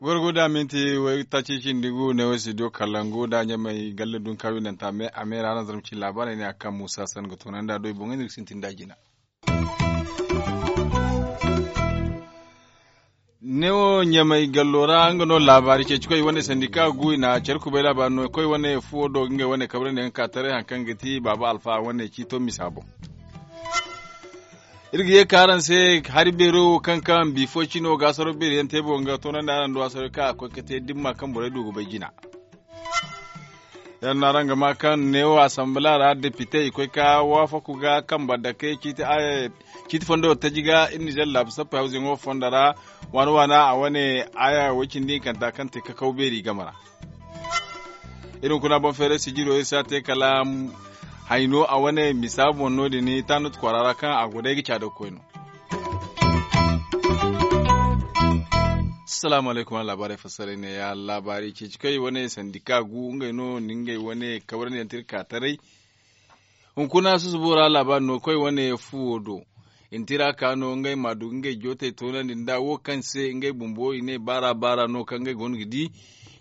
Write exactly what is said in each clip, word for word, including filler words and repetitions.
Gorgo da minti way taci cindi gu ne way studio kalangu da ɲamay galle dun kawi nanta me a me ra na zarma ci labarai ne a kan musa san ga tunanda do i boŋ ne ga sintin da jina. Ne wo ɲamay gallo ra nga no laabaari ceeci koy wane sandika gu i na care kubay laabaari no koy wane fuwo do ngey wane kabrandi yaŋ ka taray hari kaŋ ga ti baaba alfa wane ciito misa boŋ. Iri ga ye ka araŋ se hari beero wo kaŋ kaŋ bifo cino ga asaro beeri yaŋ te boŋ ga toonandi araŋ do asaro kaŋ a koy ga te dimma kaŋ borey du ga bay jina. Yaŋ no araŋ ga ma kaŋ neewo asambala ra depite i koy ka waafaku ga kamba dake ciiti fondo taji ga iri nizer laabu sappey hawzuyaŋo fondo ra waana waana a wane aya way cindi hinkanta kaŋ te kakaw beeri game ra. Iri hunkuna boŋ feeray sijiro iri si a te kala hayno a wane misa boŋ no- din taanut kwaara ra kaŋ a go day ga caada ga koy no. Salaamu alaykum a laabaarey fassaray ne ya laabaarey ceeci kaŋ i wane sandika gu ngey no ni ngey wane kabarandi yaŋ tira ka taray. Hunkuna susubo ra laabaari no koy wane fuwo do. I na tira ka no ngey ma du ga ngey jootey toonandi nda wo kaŋ se ngey bumbo i ne baara baara no kaŋ ngey go no ga di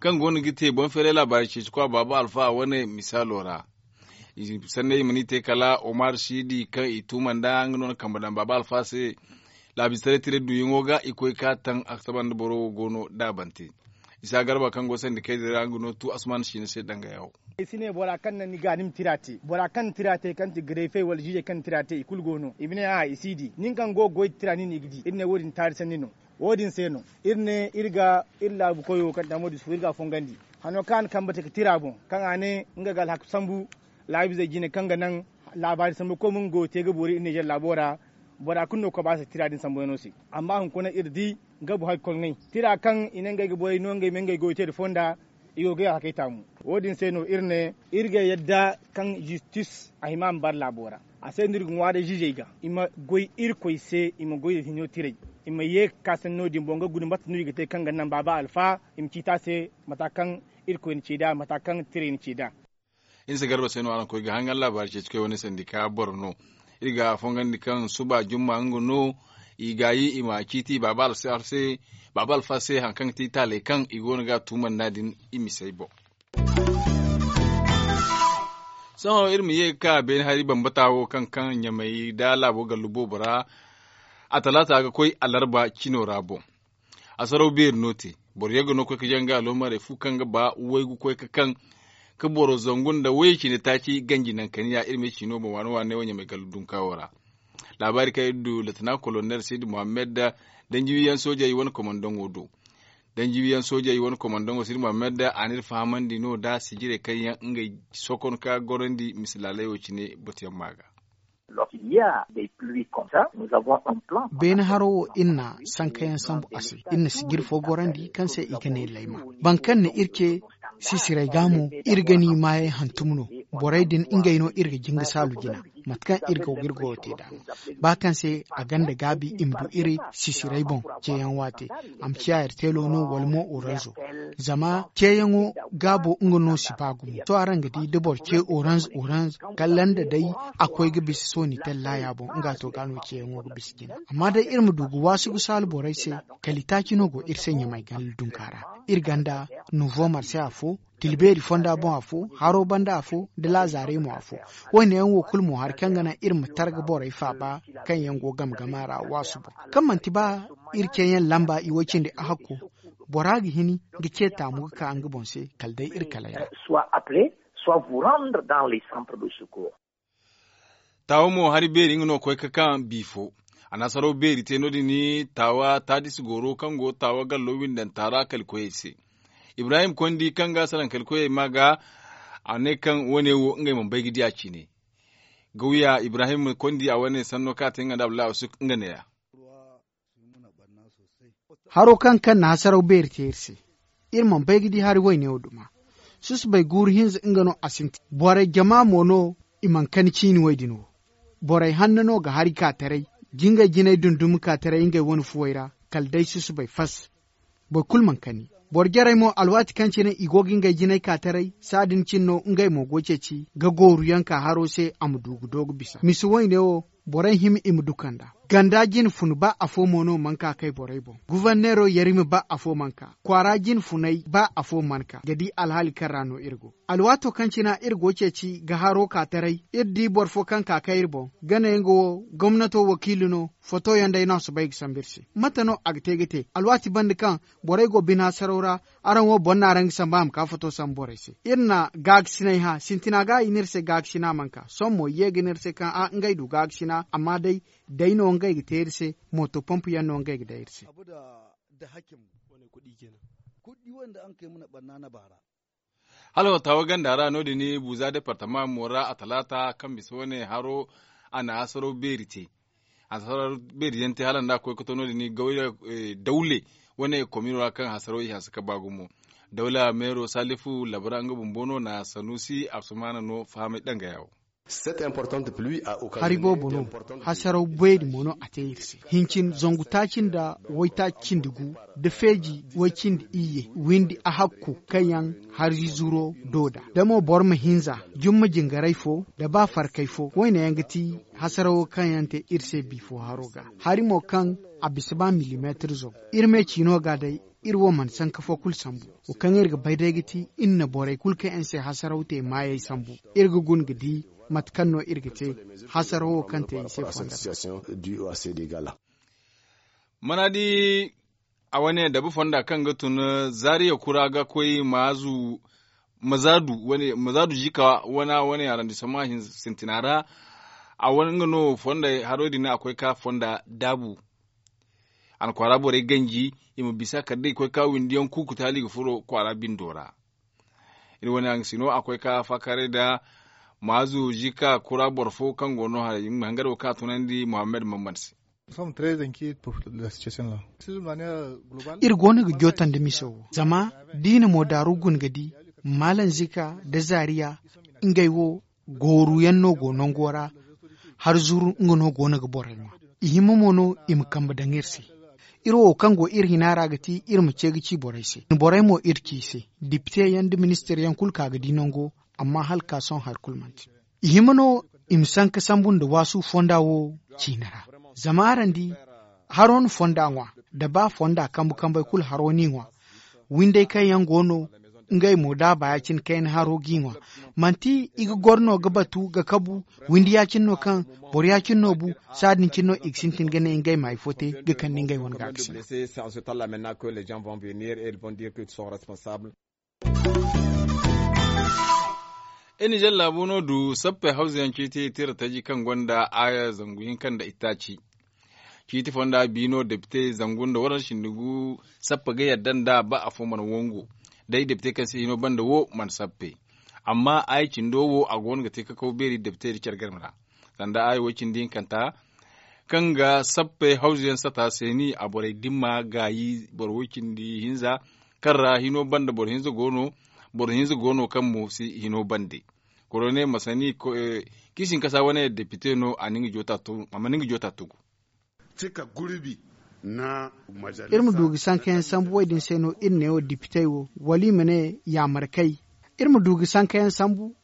kaŋ go no ga te boŋ feeray laabaari ceeci kwa baaba alfa wane misaalo ra. Sanney i mana i te kala omar siidi kaŋ i tuuma nda nga no na kambe daŋ baaba alfa se. Laabistaray tira duyaŋo ga i koy ka taŋ a ga saba nda boro wo go no da bante. Isa garba kaŋ go sandi kayzey ra nga no tu asuman siina se danga yawo. Ay si ne bora kaŋ naŋ ni ga ni ma tira te bora kaŋ na tira te kaŋ ti garayfey wala ziizey kaŋ na tira te i kulu go no i ma ne a i si di nin kaŋ go ga goy da tira nin i ga di iri ne wo- din taari sanni no. Wo- din se no iri ne iri ga iri laabu koyo kaŋ ti hamo dusu iri ga a fongandi. Hano kaŋ a na kambe te ga tira boŋ kaŋ a ne nga ga alhaku sambu. Laabu izey jine kaŋ ga naŋ laabaari sambu koy mo nga go ga te ga boori iri nizer laabo ra. Bora kulu no ga koy ba se tira din sambuyaŋo se. Amma hunkuna iri di nga bu hari koy ŋway tira kaŋ i ne ngey ga borey no ngey ma ngey goy te nda fonda. I go ga ya hakey taamu. Wo- din se no iri ne iri ga yadda kaŋ zistis a hima a ma bara laabo ra. A se no iri ga ŋwaaray ziizey ga i ma goy irkoy se i ma goy nda hinyo tiray. I ma ye ga ka sanni no- din boŋ ga guna mate no i ga te kaŋ ga naŋ baaba alfa i ma ciiti a se mata kaŋ irkoy na ce nd'a mata kaŋ tiray na ce nd'a. Iri se garba se no araŋ koy ga hangan laabaari ceeci koy wane sandika boro no. Iri ga a fongandi kaŋ suba jumma nga no i gaayi i ma ciiti baaba alfa se hari kaŋ ga ti taaley kaŋ i go no ga a tuumandi no- din. I ma si ay boŋ. Sohõ iri ma ye ga ka beene hari bambata wo kaŋ kaŋ ɲamay nda laabo gallu boobo ra. A talaata ga koy alarba cino ra boŋ. Asaraw beeri no te boro yaŋ ga no ga koy ga janga aloomarey fu kaŋ ga ba waygu koy ga kaŋ ga boro zangu nda wayey cine taaci ganji naŋ kaniya iri ma ay ci no boŋ waane waane wo ɲamay gallu dunkaawo ra. Laabaari kaŋ iri du latina kolonel sidi muhammad danji wiyaŋ soojey wane komandaŋo do. Danji wiyaŋ soojey wane komandaŋo sidi muhammad a na iri fahamandi no nda sijirey kaŋ yaŋ ngey sokon ka gorandi misilaaley wo cine batuyaŋ ma ga. Beene haro wo iri na sankayaŋ sambu a se. Iri na sijiri fo gorandi kaŋ se i ga ne layma. Boro kaŋ na iri ce sisiray ga mo iri ga ni maayey hantum no. Borey din ngey no iri ga jin ga saalu jina. Mate kaŋ iri go ga iri goyo te nd'a no. Ba kaŋ se a gonda gaabi i ma du iri sisiray boŋ ceeyaŋ waate. A ma ciya iri teelo no wala mo oranzo. Zama ceeyaŋo gaabo nga no si ba gumo sohõ araŋ ga di da boro ce oranz oranz kala nda day a koy ga bisa sooni tallaya boŋ nga to ga no ceeyaŋo ga bisa jina. Amma day iri ma du ga waasu ga saalu borey se kala itaaci no go iri se ɲamay ganda dunka ra. Iri ganda nuvo marse afo, tilbeeri fonda boŋ afo, haro banda afo, da laazaare mo afo. Wo- ne yaŋ wo kulu mo hari kaŋ ga naŋ iri ma targa borey faaba kaŋ yaŋ go game game a ra waasu boŋ. Kaŋ manti ba iri ceeyaŋ lamba iway cindi a hakko. Bora ga hin ga ce taamu ga ka nga boŋ se kala day iri kalay ra. Taawa mo hari beeri nga no ga koy ga kaŋ biifo. A na saraw beeri te no- din taawa taadisi goro kaŋ go taawa gallo windanta ra kalikoyey se. Ibrahim kondi kaŋ ga salaŋ kalikoyey ma ga a ne kaŋ wo- ne wo ngey mana bay ga di a cine. Gawya ibrahim kondi a wane sanno kaŋ a te nga nda abdullahi asuk nga neeya. Haro kaŋ kaŋ na hasaraw beeri te iri se. Iri mana bay ga di hari wayne wo duma. Susubay guuru hinza nga no a sintin borey jama mo no. I mana kani ciini way din wo. Borey hanno no ga hari ka taray. Jingay jinay dundumi ka taray ngey wane fuwey ra kala day susubay fas. Boro kulu mana kani. Boro jarey mo alwaati kaŋ cine i go ga ngey jinay ka taray, saadin cine no ngey mo go ceeci ga gooru yaŋ ka haro se a ma du ga do ga bisa misi wayne wo. Borey hima i ma du kanda ganda jine fun ba afo mo no mana ka kay borey boŋ. Guforneero yarima ba afo mana ka kwaara jine funay ba afo mana ka ga di alhaali kaŋ ra no iri go. Alwaato kaŋ cina iri go ceeci ga haro ka taray, iri di boro fo kaŋ ka kay iri boŋ, gana yaŋ ga wo gomnato wakiili no. Foto yaŋ day no a soobay ga sambu iri se. Mate no a ga te ga te alwaati banda kaŋ borey go bine hasaraw ra? Araŋ wo boro no araŋ ga sambu a ma ka foto sambu borey se. Iri na gaagasinay hã sintina ga i ne iri se gaagasina mana ka sohõ mo i ye ga ne iri se kaŋ a ngey du gaagasina amma day day no ngey ga te iri se. Mooto pompu yaŋ no ngey ga day iri se. Hala wata wo ganda ra no- din buuza departama mo ra a talaata kaŋ bisa wane haro a na hasaro beeri te. Hasaro beeri yaŋ te hala nda a koy ga to no- din gawya dawle wane komino ra kaŋ hasaro i hanse ga ba gumo. Dawla meero salifu labara nga bumbo no na sanusi absumana no fahamay danga yawo. Hari boobo no hasaraw beeri mo no a te iri se. Hincin zangu taaci nda waytaaci cindi gu da feeji way cindi iyye windi a hakku kaŋ yaŋ hari zuro do nd'a da mo boro ma hinza jumma jingaray fo nda ba farkay fo wayne yaŋ ga ti hasarawo kaŋ yaŋ te iri se bifo haro ga. Hari mo kaŋ a bisa ba milimeetir zangu iri me ciino ga day. Iri wo mana sanka fo kulu sambu. Wo kaŋ iri ga bay day ga ti iri na borey kulu kaŋ yaŋ se hasaraw te maayey sambu. Iri ga guna ga di mate kaŋ no iri ga te hasarawo kaŋ te i se fonda. Mana di a wane dabu fonda kaŋ ga tun zaariya kura ga koy maazu mazaadu jika wana wane arandisoma sintina ra. A wane nga no fonda haro din a koy ka fonda daabu. A na kwaara borey ganji i ma bisa kala day i koy ka windiyaŋ kuuku taali ga furo kwaara bindo ra. Iri wane haŋ sino a koy ka faakaaray nda maazu zika kura boro fo kaŋ go no haray i ma hangaro ka tunandi muhammad mammad se. Iri go no ga jootan da miso wo zama da i na mo daaru guna ga di maalan zika nda zaariya ngey wo. Gooru yaŋ no go nango ra. Har zuru nga no go no ga borey ŋwa. I hima mo no i ma kambe daŋ iri se. Iri wo kaŋ go iri hina ra ga ti iri ma ce ga ci borey se borey mo iri ci i se. Dipite yaŋ nda ministir yaŋ kulu ka ga di nango. Amma hala ka sohõ hari kulu manti. I hima no i ma sanka sambu nda waasu fonda wo ciine ra. Zama araŋ di haro na fonda ŋwa. Da ba fonda kambu kambey kulu haro n'i ŋwa. Windey kaŋ yaŋ go no ngey mo da a ba ya- cine kayna haro g'i ŋwa. Manti i ga goro no ga batu ga kabu windi ya- cine no kaŋ boro ya- cine no bu. Saadin cine no i ga sintin ga ne ngey ma hari fo te ga kande ngey wane ga ga sina. Iri nizer laabo no du sappey hawza yaŋ ciiti tira taji kaŋ gonda aaya zangu hinka nda itaaci. Ciiti fonda bi no depite zangu nda waransa cindi gu. Sappe ga yadda nda ba afo mana wangu. Day depite kaŋ si hino banda wo mana sappe. Amma aaya cindo wo a go no ga te kakaw beeri depite nda care game ra. Sanda aaya wo- cindi hinkanta kaŋ ga sappe hawza yaŋ sata seeni a borey dimma gaayi boro wo- cindi hinza. Kaŋ ra hino banda boro hinza go no kaŋ mo si hino bande. Korone masani kiisinkasa wane depite no a ma ni nga joota tugu. Iri ma du ga sanka yaŋ sambu wo- din se no iri ne wo depite wo wala i ma ne yaamarkay. Iri ma du ga sanka yaŋ sambu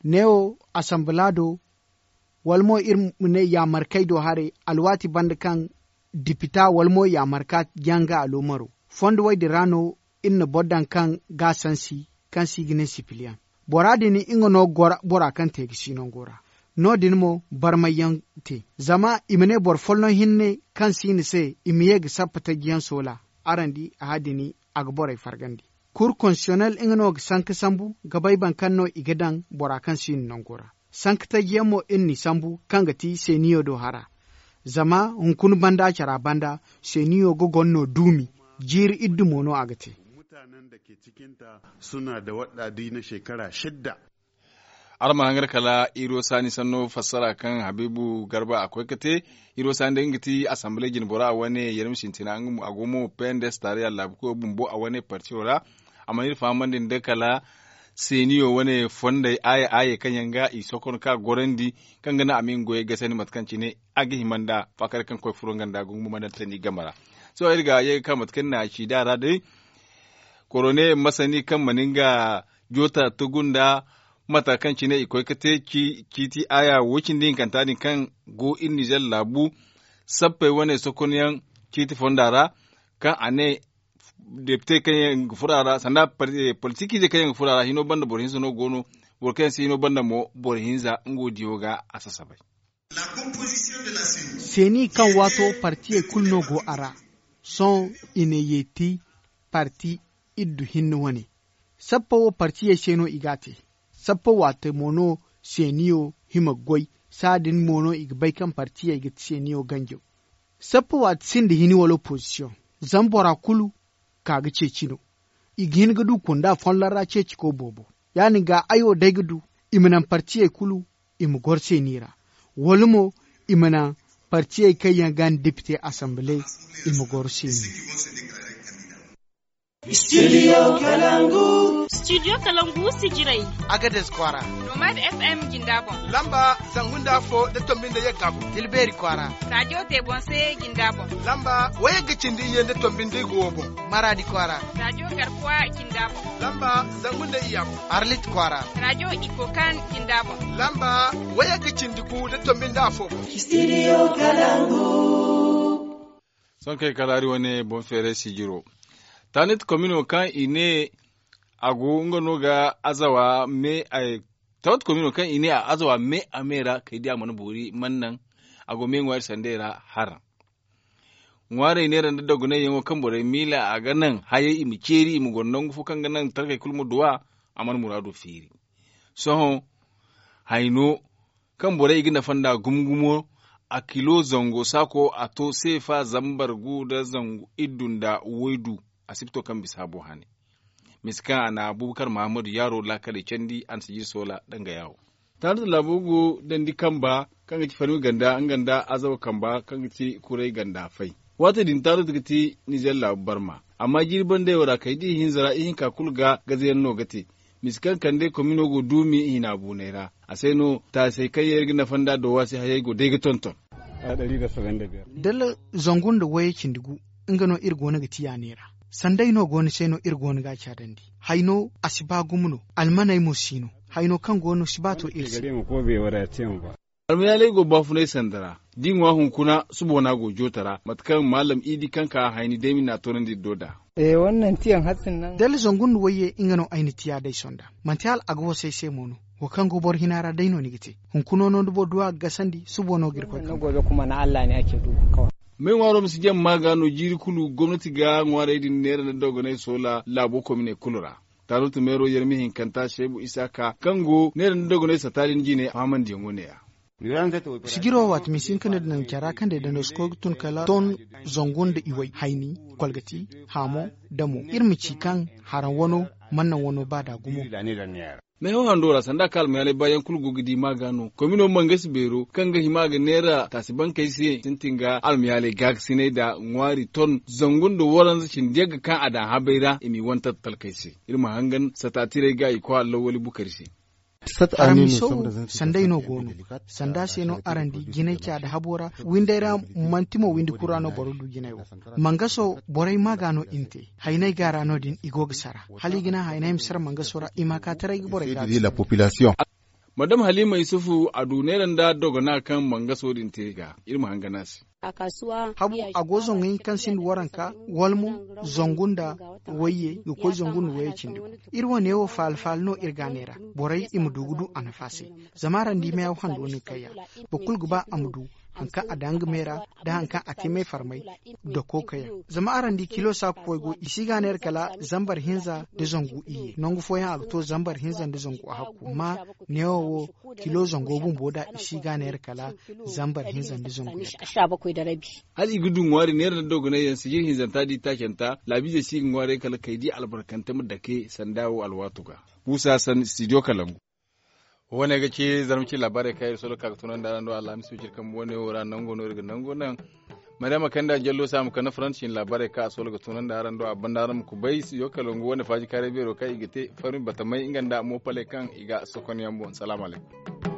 ne wo asanbala do wala mo iri ma ne yaamarkay do haray alwaati banda kaŋ depita wala mo yaamarka jaŋ ga aloomaro. Fondo wo- din ra no iri na boro daŋ kaŋ ga a sansi kaŋ se i ga ne sipiliyaŋ. Bora din nga no bora kaŋ te ga si nango ra. No- din mo barmay yaŋ te zama i ma ne boro folloŋ hinne kaŋ si ni se i ma ye ga sappa taji yaŋ soola. Araŋ di a ha- din a ga borey fargandi. Kur konsiyonel nga no ga sanka sambu ga bay boro kaŋ no i ga daŋ bora kaŋ si ni nango ra. Sanka taji yaŋ mo iri n'i sambu kaŋ ga ti seeniyo do hara. Zama hunkuna banda care banda seeniyo ga goro no duumi. Jiiri iddu mo no a ga te. Mutanen da ke cikinta suna da waɗa di na shekara shidda. Araŋ ma hangar kala iro saani sanno fassara kaŋ habiibu garba a koy ga te. Iro saani day nga ti asanbale jinbora wane yarmi sintina a go mo pendes taariya laabu koyo bumbo a wane partiyo ra. A mana iri fahamandi nda kala seeniyo wane fondey aaye aaye kaŋ yaŋ ga i sokon ka gorandi kaŋ ga naŋ a ma nga goyey gasandi mate kaŋ cine a ga hima nda faakari kaŋ koy furo nga nda gungu ma daŋ tandi game ra. Sohõ iri ga ye ga ka mate kaŋ ni na a ci da ra day. korone masani kaŋ mana nga joota tugu nda mata kaŋ cine i koy ga te ciiti aya wo- cindi hinkanta din kaŋ go iri nizer laabu sappey wane sokonyaŋ ciiti fonda ra kaŋ a ne depite kaŋ yaŋ ga furo a ra sanda politikiizey kaŋ yaŋ ga furo a ra hino banda boro hinza no go no. Boro kaŋ yaŋ si hino banda mo boro hinza nga wo diyo ga a sasabay. Seeni kaŋ waato partiyey kulu no go a ra. Sohõ i na yeeti parti iddu hinne wane. Sappa wo partiyey se no i g'a te. Sappa waate mo no seeniyo hima ga goy. Saadin mo no i ga bay kaŋ partiyey ga seeniyo ganjo. Sappa waate sinda hini wala opozisiyoŋ. Zama bora kulu ka ga ceeci no. I ga hin ga du kunda folloŋ ra ceeciko boobo. Ya- din ga ay wo day ga du i ma naŋ partiyey kulu i ma goro seeni ra. Wala mo i ma naŋ partiyey kaŋ yaŋ ga ni depite asambale i ma goro seeni. Studio kalangu. Studio kalangu si jiray. Agades kwaara. Nomad fm jinda boŋ. Lamba zangu nda afo da tombi nda yagga boŋ. Tilbeeri kwaara. Rajo tebonse jinda boŋ. Lamba wayagga cindi iyye nda tombi nda igo wo boŋ. Maraadi kwaara. Rajo garkuwa jinda boŋ. Lamba zangu nda iyya boŋ. Arlit kwaara. Rajo ikokan jinda boŋ. Lamba wayagga cindi gu nda tombi nda afo boŋ. Studio kalangu. Sohõ kay kala hari wane boŋ feeray sijiro. Tanit komino kaŋ i ne a go nga no ga azawa me ay tawat komino kaŋ i ne a azawa me a me ra kay di a mana boori man naŋ. A go me ŋwaari sandey ra haraŋ ŋwaarey neera nda dogonay yaŋo kaŋ borey miila a ga naŋ hayey i ma ceeri i ma goro nangu fo kaŋ ga naŋ talkey kulu ma duwa. A mana muraado feeri. Sohõ hayno kaŋ borey i ga nafa nda gumo gumo a kilo zango saako a to seefa zambar gu nda zangu iddu nda waydu. A si ga to kaŋ bisa a bo hane. Misi kaŋ a na abubakar mahammadu yaaro laakaley candi a na sijir soola danga yaawo. Taaratu laabo go dandi kamba kaŋ ga ci farmi ganda nga nda azawa kamba kaŋ ga ci kuray ganda fay. Waati din taaratu ga ti nizer laabu barma. Amma jiiri bandey wo ra kay da ihinza ra ihinka kulu ga gazayaŋ no ga te. Misi kaŋ kande komino go duumi i hina buunay ra. A se no taasey kaŋ yaŋ iri ga nafa nda dowa se hayey go day ga tonton. Dala zangu nda wayey cindi gu nga no iri go no ga ti yaane ra. Sanday no go ni se no iri go no ga a caadandi. Hayno a si ba gumo no. Almaney mo si no. Hayno kaŋ go no si ba to iri se. Almayaaley go baafunay sanda ra da i ŋwa hunkuna suboona go joota ra mate kaŋ maalam idi kaŋ ka hayni day mi na a toonandi iri do nd'a. Dala zangu nda wayye nga no ay na tiya day sonda. Manti hala a ga wasay se mo no. Wo kaŋ go boro hina ra day no ni ga te. Hunkuna no da boro du a ga gasandi suboona ga iri koy kaŋ. May ŋwaaro ma si jaŋ maaga no jiiri kulu gomnati ga ŋwaarey din neera nda dogonay soola laabo komine kulu ra. Taarutu meero yermi hinkanta seebu isaaka kaŋ go neera nda dogonay sata din jine fahamandiyaŋo ne-ya. Sijiro waati misin ka ne da naŋ care ra kaŋ day dando si koy ga tun kala ton zangu nda iway hayni kolgati haamo damo iri ma ci kaŋ haraŋ wano mana naŋ wano ba da gumo. Meehaw hando ra sanda kaŋ almayaaley baayaŋ kulu go ga di maaga no komino mangasi beero kaŋ ga hima ga neera taasi bankey se sintin ga almayaaley gaakasinay nda ŋwaari ton zangu nda waranza cindi yagga kaŋ a daŋ habay ra i m'i wane tattalkey se. Iri ma hangan sataatiray ga i koy allawali bukari se. Araŋ miso wo sanday no go no. Sanda se no araŋ di jinay ca da habo ra windey ra manti mo windi kura no boro du jinay wo. Mangaso borey maaga no i na te. Haynay ga ra no- din i go ga sara hala i ga naŋ haynay ma sara mangaso ra i ma ka taray ga borey ga. Madam halima yusufu a du neera nda dogona kaŋ mangaso din te ga iri ma hangan a se. Habu a go zangu hinka kaŋ sinda waranka wala mo zangu nda wayye ga koy zangu nda wayye cindi iri wane wo faala faala no iri ga a neera borey i ma du ga du a nafa se. Zama araŋ di meehaw hando no ni kayya boro kulu ga ba a ma du haŋ kaŋ a daŋ nga me ra da haŋ kaŋ a te me farmay. Dako kayaŋ zama araŋ di kilo saaku koy go i si ga a neera kala zambar hinza nda zangu iyye nangu fooyaŋ a ga to zambar hinza nda zangu a hakku amma neewo wo kilo zango bumbo da i si ga a neera kala zambar hinza nda zangu yadda. Hala i ga du ŋwaari neera nda dogonay yaŋ sijir hinzanta da i taacanta laabiizey si ga ŋwaaray kala kay di albarkante ma dake sanda wo alwaato ga. Buusa san studio kalangu. Wo- ne ga ci zarma ci laabaarey kaŋ iri solo ga ka ga tunandi araŋ do alhamis wiciri kambe wo- ne wo ra nango no iri ga nango naŋ. Maryama kanda jallo se a ma kande faransi cine laabaarey kaŋ a solo ga tunandi araŋ do a banda araŋ ma kubay studio kalangu wo- ne faaji kaaray beero kaŋ i ga te farmi batamay nga nda moopaley kaŋ i ga sokonyaŋ boŋ salaamu alaykum.